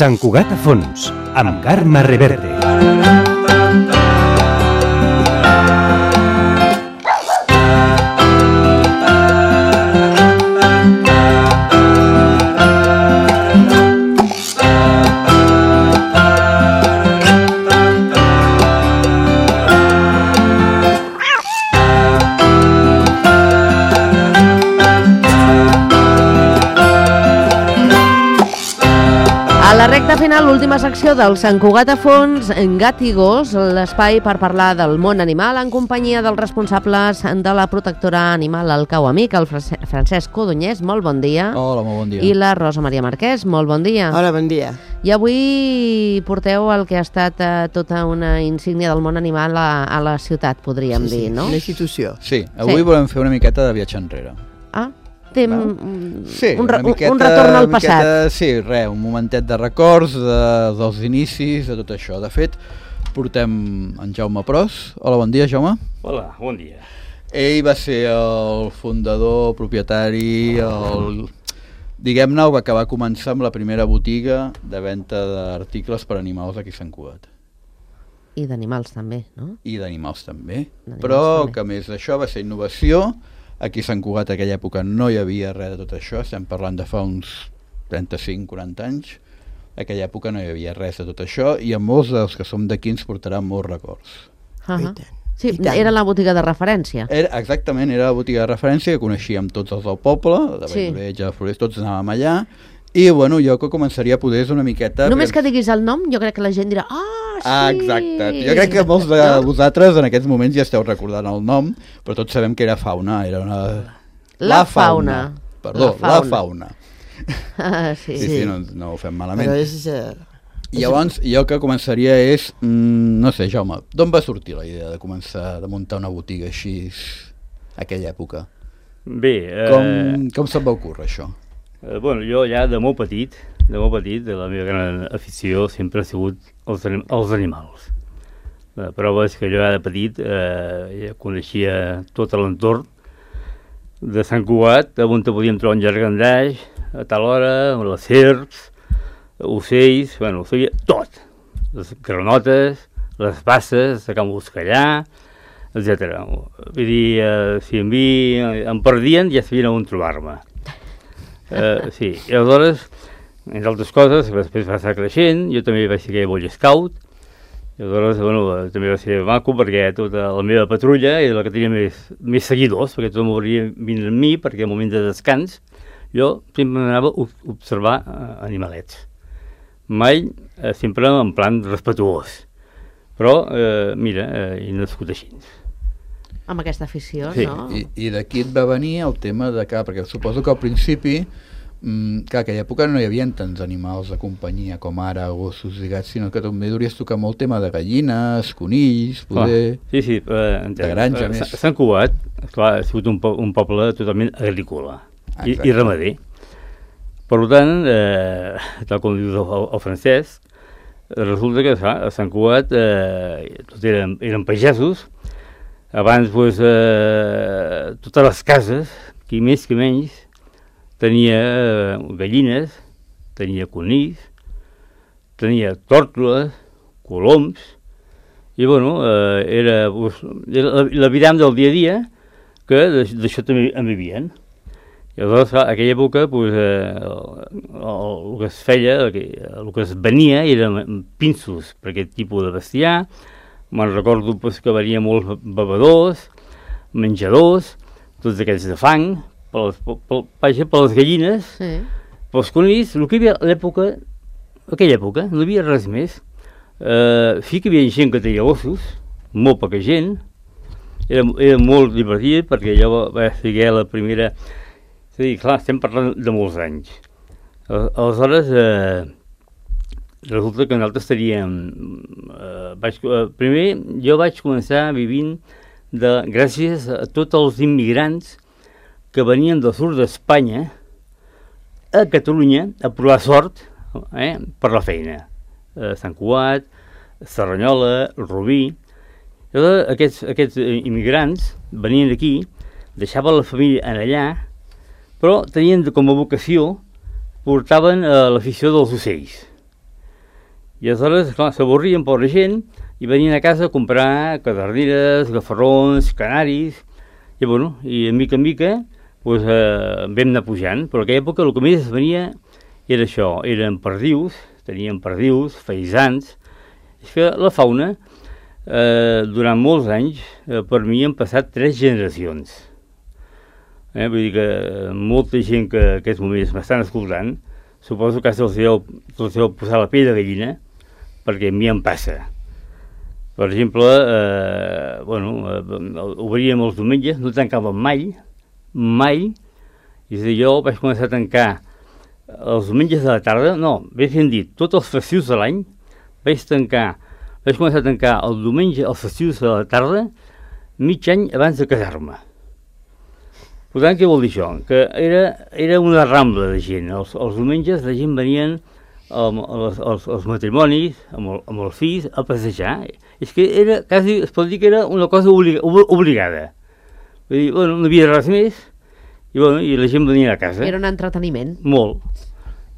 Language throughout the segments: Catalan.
Sant Cugat a fons, amb Carme Reverte. A la recta final, l'última secció del Sant Cugat a fons, Gat i Gos, l'espai per parlar del món animal en companyia dels responsables de la protectora animal al Cau Amic, el Francesc Codonyès, molt bon dia. Hola, molt bon dia. I la Rosa Maria Marquès, molt bon dia. Hola, bon dia. I avui porteu el que ha estat tota una insígnia del món animal a la ciutat, podríem dir, no? Una institució. Sí, avui volem fer una miqueta de viatge enrere. Ah, té Sí, un una miqueta, retorn al una miqueta, passat. sí, un momentet de records dels inicis, de tot això. De fet, portem en Jaume Pros. Hola, bon dia, Jaume. Hola, bon dia. Ell va ser el fundador, propietari, diguem-ne, que va començar amb la primera botiga de venda d'articles per animals aquí a Sant Cugat. I d'animals també, no? I d'animals també. D'animals Però també. que a més d'això va ser innovació. Aquí a Sant Cugat, en aquella època, no hi havia res de tot això. Estem parlant de fa uns 35-40 anys. En aquella època no hi havia res de tot això i a molts dels que som d'aquí ens portaran molts records. Uh-huh. I tant. Sí, I tant. era la botiga de referència. Exactament, era la botiga de referència que coneixíem tots els del poble, de Sí. Valldoreig, de Floreix, tots anàvem allà. I bueno, jo que començaria a poder és una miqueta... Només que diguis el nom, jo crec que la gent dirà sí! Exacte. Jo crec que molts de vosaltres en aquests moments ja esteu recordant el nom, però tots sabem que era fauna, era una... La fauna. Perdó, la fauna. Ah, sí. Sí, no ho fem malament. Però és... I llavors, jo que començaria és, no sé, Jaume, d'on va sortir la idea de començar, de muntar una botiga així a aquella època? Bé, Com se't va ocórrer això? bueno, jo ja de molt petit, la meva gran afició sempre ha sigut els animals. La prova és que jo ja de petit ja coneixia tot l'entorn de Sant Cugat, on podíem trobar un llangardaix a tal hora, les serps, ocells, bueno, ho feia tot. Les granotes, les basses, de Can Buscallà, etc. Vull dir, si em perdien ja sabien on trobar-me. Sí, i aleshores, entre altres coses, després va estar creixent, jo també vaig ser Boy Scout, i aleshores, bueno, també va ser maco perquè tota la meva patrulla era la que tenia més seguidors, perquè tothom volia venir amb mi, perquè al moment de descans jo sempre anava a observar animalets. Mai, sempre en plan respetuós, però, mira, he nascut així. Amb aquesta afició, Sí. no? I d'aquí et va venir el tema de que, perquè suposo que al principi, clar, aquella època no hi havia tants animals de companyia com ara, gossos i gats, sinó que també duries tocar molt tema de gallines, conills, poder... Sí, entenc. De granja, més. Sant Cugat, clar, ha sigut un poble totalment agrícola i ramader. Per tant, tal com dius el Francesc, resulta que a Sant Cugat tots eren pagesos. Abans, doncs, totes les cases, qui més que menys, tenia gallines, tenia conills, tenia tórtoles, coloms, i, bueno, era l'aviram del dia a dia, que d'això també en vivien. I aleshores, a aquella època, el que es feia, el que es venia eren pinços per aquest tipus de bestiar. Me'n recordo que venia molts bevedors, menjadors, tots aquells de fang, per les gallines, Sí. pels conills. El que hi havia aquella època, no hi havia res més. Sí que hi havia gent que tenia ossos, molt poca gent, era molt divertit perquè jo vaig ser la primera... És a dir, clar, estem parlant de molts anys. Aleshores, resulta que nosaltres teníem... primer, jo vaig començar vivint gràcies a tots els immigrants que venien del sud d'Espanya a Catalunya a provar sort per la feina. Sant Cugat, Cerdanyola, Rubí... Aquests immigrants venien aquí, deixaven la família en allà, però tenien com a vocació, portaven l'afició dels ocells. I aleshores, clar, s'avorrien per la gent i venien a casa a comprar caderneres, gafarrons, canaris, i bueno, i de mica en mica doncs, vam anar pujant, però en aquella època el que més es venia era això, eren perdius, teníem perdius, faisans. És que la fauna, durant molts anys, per mi han passat 3 generacions. Vull dir que molta gent que en aquests moments m'estan escoltant, suposo que se'ls deu posar la pell de gallina, perquè a mi em passa. Per exemple, obríem els diumenges, no tancàvem mai, i és a dir, jo vaig començar a tancar els diumenges de la tarda, no, més ben dit, tots els festius de l'any, vaig començar a tancar el diumenge, els festius de la tarda, mig any abans de casar-me. Per tant, què vol dir això? Que era una rambla de gent. Els diumenges la gent venien als matrimonis, amb els fills, a passejar. És que era, quasi, es pot dir que era una cosa obligada. Vull dir, bueno, no havia res més, i la gent venia a casa. Era un entreteniment. Molt.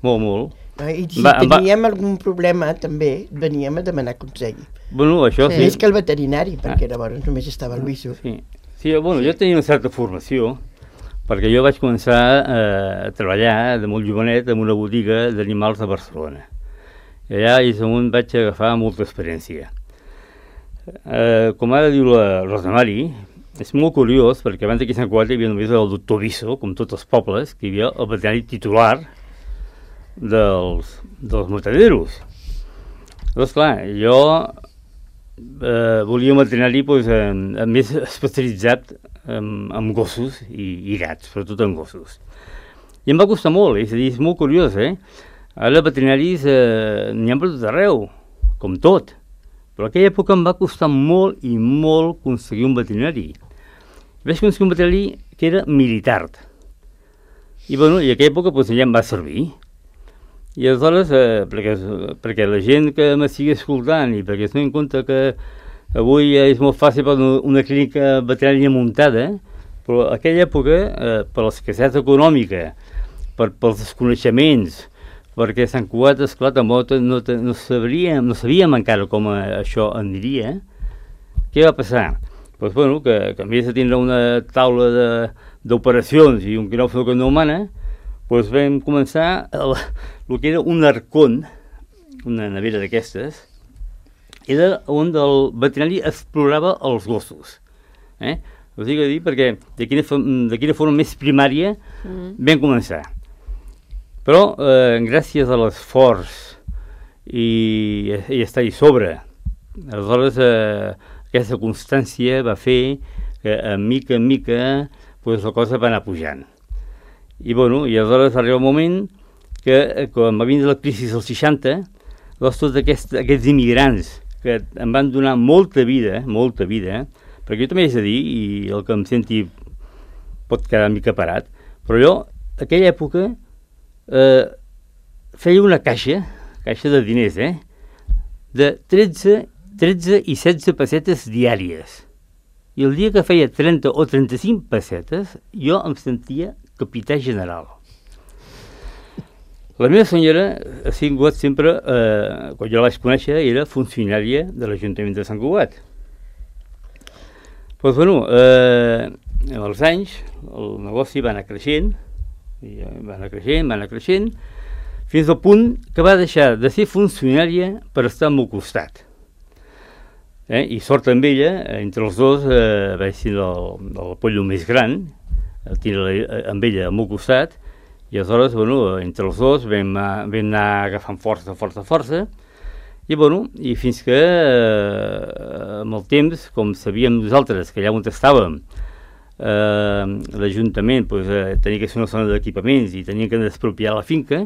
I si teníem algun problema, també veníem a demanar consell. Bueno, això sí. Més que el veterinari, perquè llavors només estava el Luiso. Sí, bueno, jo tenia una certa formació, perquè jo vaig començar a treballar de molt jovenet en una botiga d'animals a Barcelona. I allà és on vaig agafar molta experiència. Com ara diu la Rosa Mari, és molt curiós, perquè abans d'aquí a Sant Cugat hi havia només el doctor Viso, com tots els pobles, que hi havia el veterinari titular dels mataderos. Doncs clar, jo volia un veterinari més especialitzat en gossos i gats, sobretot en gossos. I em va costar molt, és a dir, és molt curiós, Ara veterinaris n'hi ha per tot arreu, com tot. Però en aquella època em va costar molt i molt aconseguir un veterinari. Vaig aconseguir un veterinari que era militar. I en aquella època ja em va servir. I aleshores, perquè la gent que m'estigui escoltant i perquè es doni en compte que avui és molt fàcil per una clínica veterinària muntada, però en aquella època, per l'escassetat econòmica, pels desconeixements, perquè Sant Cugat, esclar, tampoc no sabíem encara com això aniria, què va passar? Doncs, que en vez de tindre una taula d'operacions i un quiròfan humana, vam començar el que era un arcón, una nevera d'aquestes, era on el veterinari explorava els gossos. Us dic a dir perquè de quina forma més primària vam començar. Però gràcies a l'esforç i estar-hi sobre, aleshores aquesta constància va fer que a mica en mica la cosa va anar pujant. I aleshores va arribar un moment que quan va vindre la crisi dels 60, tots aquests immigrants que em van donar molta vida, perquè jo també he de dir, i el que em senti pot quedar una mica parat, però jo, en aquella època, feia una caixa de diners, de 13 i 16 pessetes diàries. I el dia que feia 30 o 35 pessetes, jo em sentia capità general. La meva senyora ha sigut sempre, quan jo la vaig conèixer, era funcionària de l'Ajuntament de Sant Cugat. Amb els anys, el negoci va anar creixent, fins al punt que va deixar de ser funcionària per estar al meu costat. I sort amb ella, entre els dos vaig ser el pollo més gran, amb ella al meu costat, i aleshores, entre els dos vam anar agafant força, i fins que amb el temps, com sabíem nosaltres que allà on estàvem, l'Ajuntament tenia que ser una zona d'equipaments i tenia que expropiar la finca,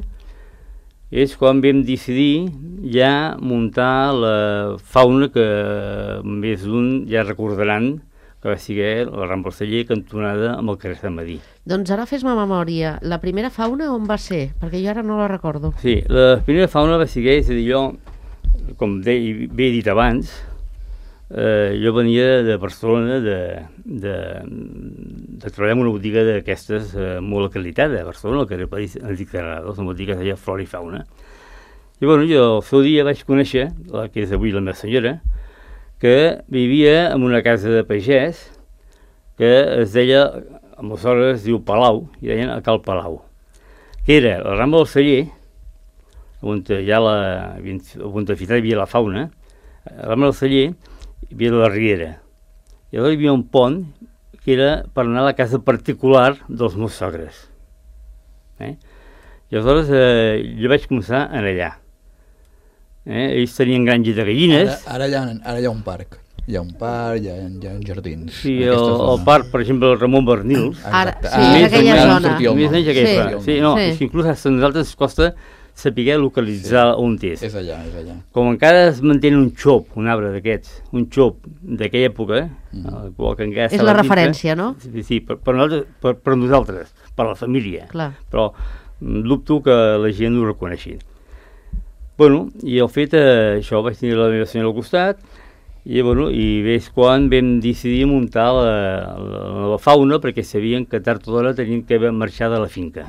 és quan vam decidir ja muntar la fauna que més d'un ja recordaran que va ser la Rambla Celler cantonada amb el carrer Sant Madí. Doncs ara fes-me memòria. La primera fauna on va ser? Perquè jo ara no la recordo. Sí, la primera fauna va ser, és a dir, jo, com bé he dit abans, jo venia de Barcelona de treballar en una botiga d'aquestes molt acreditada a Barcelona, al carrer Enric Terrados, una botiga que es deia Flora i Fauna. I bueno, jo el seu dia vaig conèixer, la que és avui la meva senyora, que vivia en una casa de pagès que es deia, aleshores es diu Palau, i deien a Cal Palau, que era la Rambla del Celler, on hi ha on de fitar hi havia la fauna, a la Rambla del Celler hi havia la Riera, i aleshores hi havia un pont que era per anar a la casa particular dels meus sogres. I aleshores jo vaig començar a anar allà. Ells tenien granja de gallines. Ara hi ha un parc. Hi ha un parc, hi ha jardins. Sí, el parc, per exemple, el Ramon Bernils. Exacte. Sí, és aquella zona. Més menys aquella. Sí, no, és que inclús a nosaltres ens costa saber localitzar on és. És allà. Com encara es manté un xop, un arbre d'aquests, un xop d'aquella època, que encara és la referència, no? Sí, per nosaltres, per la família. Clar. Però dubto que la gent ho reconeixi. Bueno, i el fet, això, vaig tenir la meva senyora al costat, i és quan vam decidir muntar la fauna, perquè sabien que tard o d'hora tenien que marxar de la finca.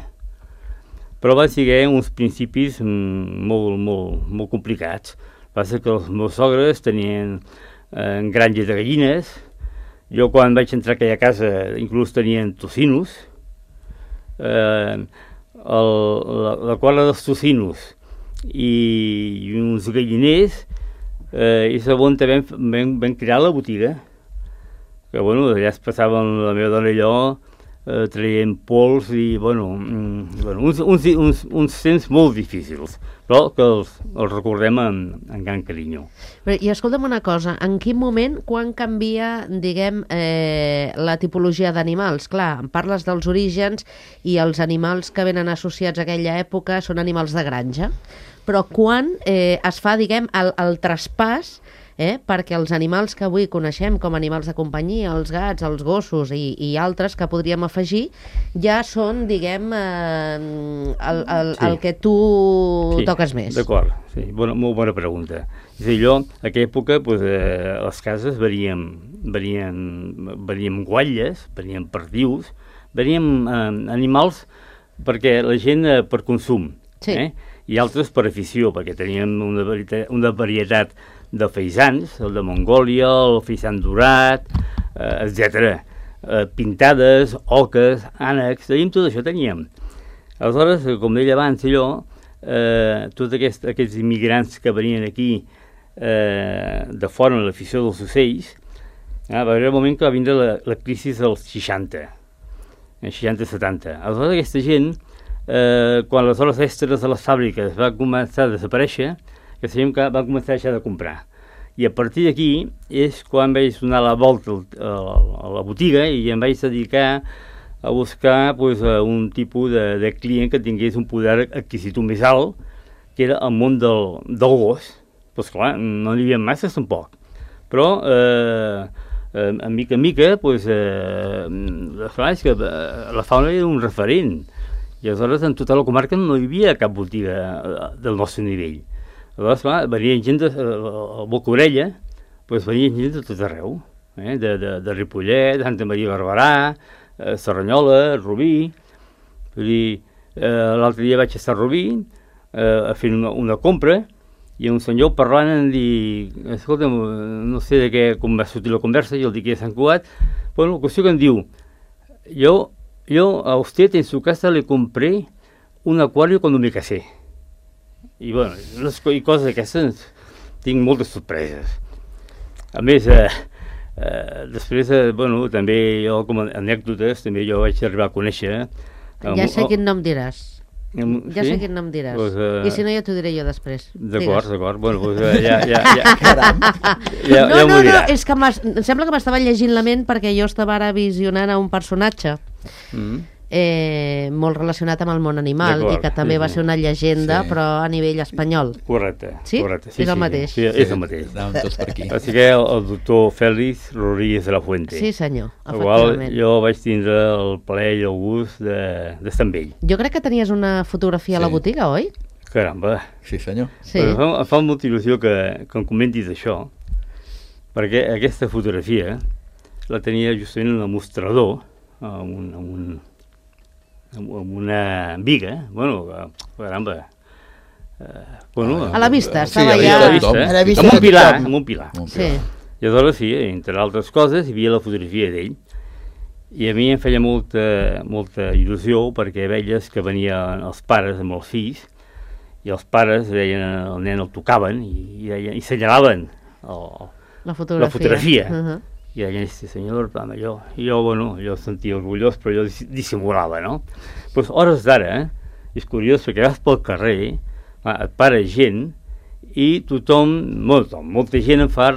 Però van ser uns principis molt complicats. Passa que els meus sogres tenien granja de gallines, jo quan vaig entrar a aquella casa inclús tenien tocinos, la quadra dels tocinos i uns galliners, i segon també vam crear la botiga, que allà es passaven la meva dona i jo traient pols i uns temps molt difícils, però que els recordem amb gran carinyo. I escolta'm una cosa, en quin moment, quan canvia, diguem, la tipologia d'animals? Clar, em parles dels orígens i els animals que venen associats a aquella època són animals de granja, però quan es fa, diguem, el traspàs perquè els animals que avui coneixem com animals de companyia, els gats, els gossos i altres que podríem afegir, ja són, diguem, el que tu toques més. D'acord, sí, molt bona pregunta. És a dir, jo, a aquella època, les cases venien guatlles, venien perdius, venien animals perquè la gent per consum, i altres per afició, perquè teníem una varietat de faisans, el de Mongòlia, el faisans dorat, etc. Pintades, oques, ànecs, tot això teníem. Aleshores, com deia abans tots aquests immigrants que venien aquí de fora en l'afició dels ocells, va haver un moment que va vindre la crisi dels 60, 60-70. Aleshores, aquesta gent, quan les hores extres de les fàbriques va començar a desaparèixer, que sabíem que van començar a deixar de comprar. I a partir d'aquí és quan vaig donar la volta a la botiga i em vaig dedicar a buscar un tipus de client que tingués un poder adquisitiu més alt, que era el món del gos. Doncs clar, no n'hi havia masses tampoc. Però, a mica en mica, és que la fauna era un referent. I aleshores en tota la comarca no hi havia cap botiga del nostre nivell. Aleshores, clar, venien gent de Boca-Orella, venien gent de tot arreu, de Ripollet, Santa Maria Barberà, Cerdanyola, Rubí. L'altre dia vaig estar a Rubí fent una compra i un senyor parlant em diu, escolta, no sé de què, com va sortir la conversa, i el dic que és Sant Cugat, la qüestió que em diu, yo a usted en su casa le compré un acuario cuando me casé. I coses d'aquestes tinc moltes sorpreses. A més, després, també jo, com a anècdotes, també jo vaig arribar a conèixer... Ja sé quin nom diràs. Ja sé quin nom diràs. I si no, ja t'ho diré jo després. D'acord. No, és que em sembla que m'estava llegint la ment perquè jo estava ara visionant a un personatge molt relacionat amb el món animal i que també va ser una llegenda, però a nivell espanyol. Correcte. Sí? És el mateix. Sí, és el mateix. Anàvem tots per aquí. Va ser el doctor Félix Rodríguez de la Fuente. Sí, senyor, efectivament. Jo vaig tindre el plaer i el gust d'estar amb ell. Jo crec que tenies una fotografia a la botiga, oi? Caramba. Sí, senyor. Em fa molta il·lusió que em comentis això, perquè aquesta fotografia la tenia justament en el mostrador, amb una viga, caramba, A la vista, estava sí, ja... A la vista Amb un pilar. Sí. I aleshores, sí, entre altres coses, hi havia la fotografia d'ell. I a mi em feia molta il·lusió perquè veies que venien els pares amb els fills i els pares deien el nen el tocaven i senyalaven la fotografia. I deien, sí senyor, allò. I jo, jo sentia orgullós, però jo dissimulava, no? Doncs hores d'ara, és curiós perquè vas pel carrer, et para gent i tothom, molta gent em fa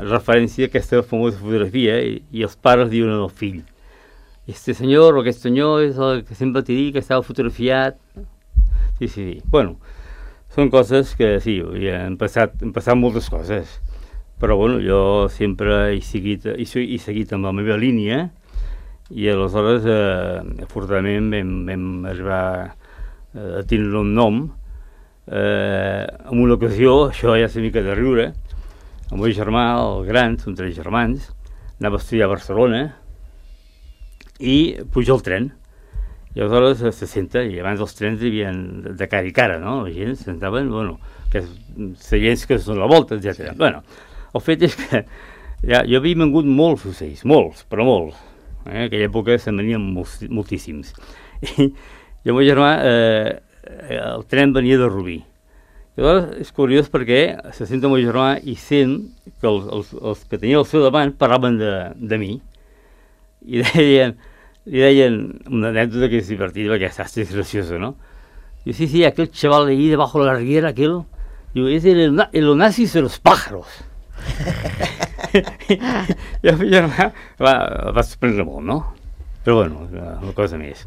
referència a aquesta famosa fotografia i els pares diuen al fill, este senyor o aquest senyor és el que sempre t'he dit que estava fotografiat. Sí. Bueno, són coses que sí, han passat moltes coses, però jo sempre he seguit amb la meva línia i aleshores afortunadament vam arribar a tenir un nom. En una ocasió, això ja és una mica de riure, el meu germà, el gran, són 3 germans, anava a estudiar a Barcelona i puja al tren. I aleshores se senta, i abans els trens hi havia de cara i cara, no? La gent se sentaven, seients que són la volta, etc. El fet és que jo havia vengut molts ocells, molts, però molts. En aquella època se'n venien moltíssims. I el meu germà, el tren venia de Rubí. I aleshores és curiós perquè se sent el meu germà i sent que els que tenia al seu davant parlaven de mi i deien una anècdota que és divertida perquè és graciosa, ¿no? Diu, sí, aquel chaval ahí debajo de la riguera, aquel, diu, es el onassis de los pájaros. I el meu germà va sorprendre molt, no? Però una cosa més.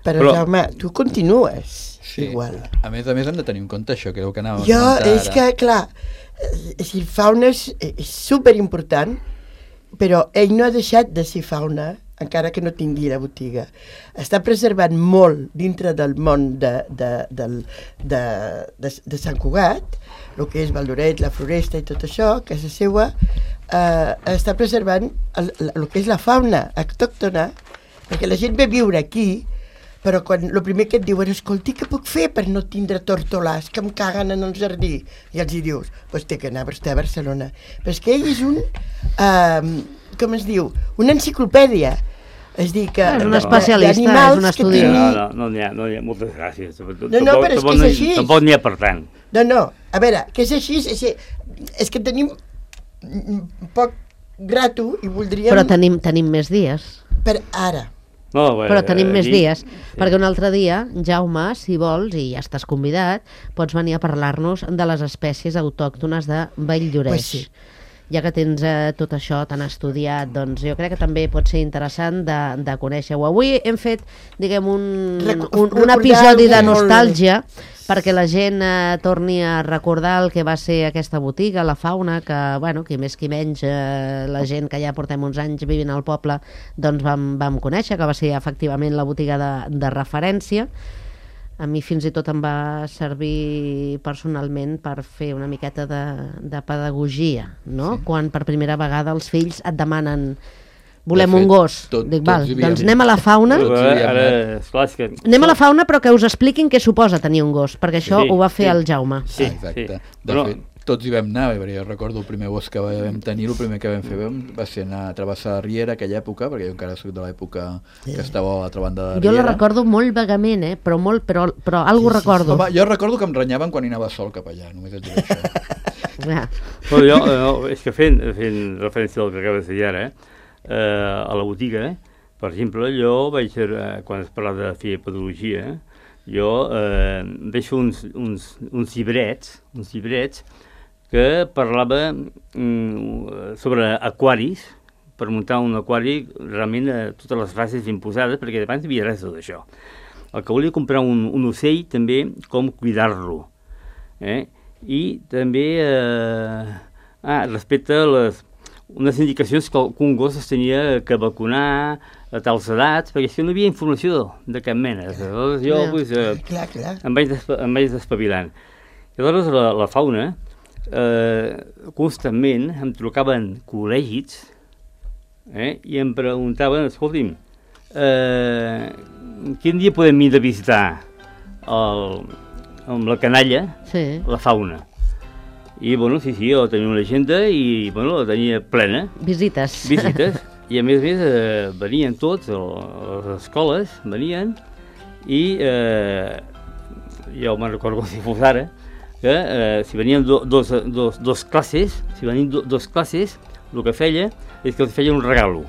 Però Jaume, tu continues igual. A més hem de tenir en compte això, creu que anàvem a comentar ara. És que, clar, si fauna és superimportant, però ell no ha deixat de ser fauna, encara que no tingui la botiga. Està preservant molt dintre del món de Sant Cugat, el que és Valdoret, la Floresta i tot això, casa seua, està preservant el que és la fauna autòctona, perquè la gent ve a viure aquí, però el primer que et diuen, escolti, què puc fer per no tindre tortolars que em caguen en el jardí? I els hi dius, doncs té que anar a Barcelona. Però és que ell és com es diu, una enciclopèdia. És dir, que... És un especialista, és un estudi. No n'hi ha, moltes gràcies. No, però és que és així. Tampoc n'hi ha per tant. No, a veure, que és així, és que tenim poc grato i voldríem... Però tenim més dies. Per ara. Però tenim més dies, perquè un altre dia, Jaume, si vols, i ja estàs convidat, pots venir a parlar-nos de les espècies autòctones de Valldoreix. Pues sí. Ja que tens tot això tan estudiat, doncs jo crec que també pot ser interessant de conèixer-ho. Avui hem fet, diguem, un episodi de nostàlgia perquè la gent torni a recordar el que va ser aquesta botiga, la fauna, que, qui més qui menys, la gent que ja portem uns anys vivint al poble, doncs vam conèixer, que va ser efectivament la botiga de referència. A mi fins i tot em va servir personalment per fer una miqueta de pedagogia, no? Sí. Quan per primera vegada els fills et demanen volem un gos. Dic, doncs anem a la fauna. Anem a la fauna, però que us expliquin què suposa tenir un gos, perquè això ho va fer el Jaume. Sí, exacte. De fet, tots hi vam anar, jo recordo el primer gos que vam tenir, el primer que vam fer va ser anar a travessar la Riera aquella època, perquè jo encara soc de l'època que estava a l'altra banda de la Riera. Jo la recordo molt vagament, però algo recordo. Home, jo recordo que em renyaven quan hi anava sol cap allà, només et diré això. És que fent referència al que acabes de dir ara, a la botiga, per exemple, jo vaig ser, quan es parla de fer pedagogia, jo vaig fer uns llibrets que parlava sobre aquaris, per muntar un aquari realment totes les fases imposades, perquè abans hi havia res de tot això. El que volia comprar un ocell, també, com cuidar-lo. I també respecte a unes indicacions que un gos es tenia que vacunar a tals edats, perquè si no hi havia informació de cap mena. Llavors jo em vaig despavilant. I aleshores la fauna, constantment em trucaven col·legis i em preguntaven, escolti'm, quin dia podem ir a visitar amb la canalla, Sí. la fauna. I, bueno, sí, jo tenia una agenda i, bueno, la tenia plena, Visites. visites, i a més venien tots, a les escoles, venien, i jo me'n recordo si fos ara, que si venien dos classes, dos classes, el que feia és que els feia un regalo.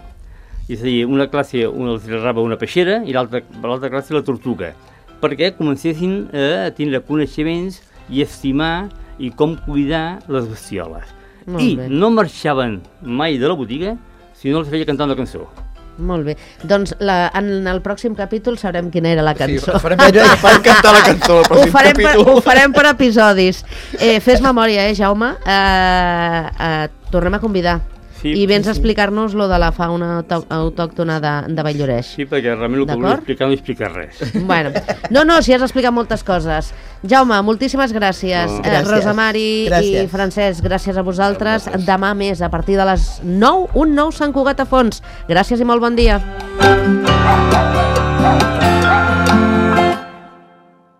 És a dir, una classe els regalava una peixera i l'altra classe la tortuga, perquè comencessin a tindre coneixements i estimar i com cuidar les bestioles. Molt I bé. no marxaven mai de la botiga si no els feia cantar una cançó. Molt bé. Doncs en el pròxim capítol sabrem quina era la cançó. Sí, farem cantar la cançó al pròxim capítol. Ho farem per episodis. Fes memòria, Jaume? Tornem a convidar. Sí, I vens a sí. explicar-nos lo de la fauna autòctona de Valldoreix. Sí, perquè realment el que volia explicar no explica res. Bueno, no, si has explicat moltes coses. Jaume, moltíssimes gràcies. No. Gràcies. Rosa Mari i Gràcies. Francesc, gràcies a vosaltres. Gràcies. Demà més, a partir de les 9, un nou Sant Cugat a Fons. Gràcies i molt bon dia.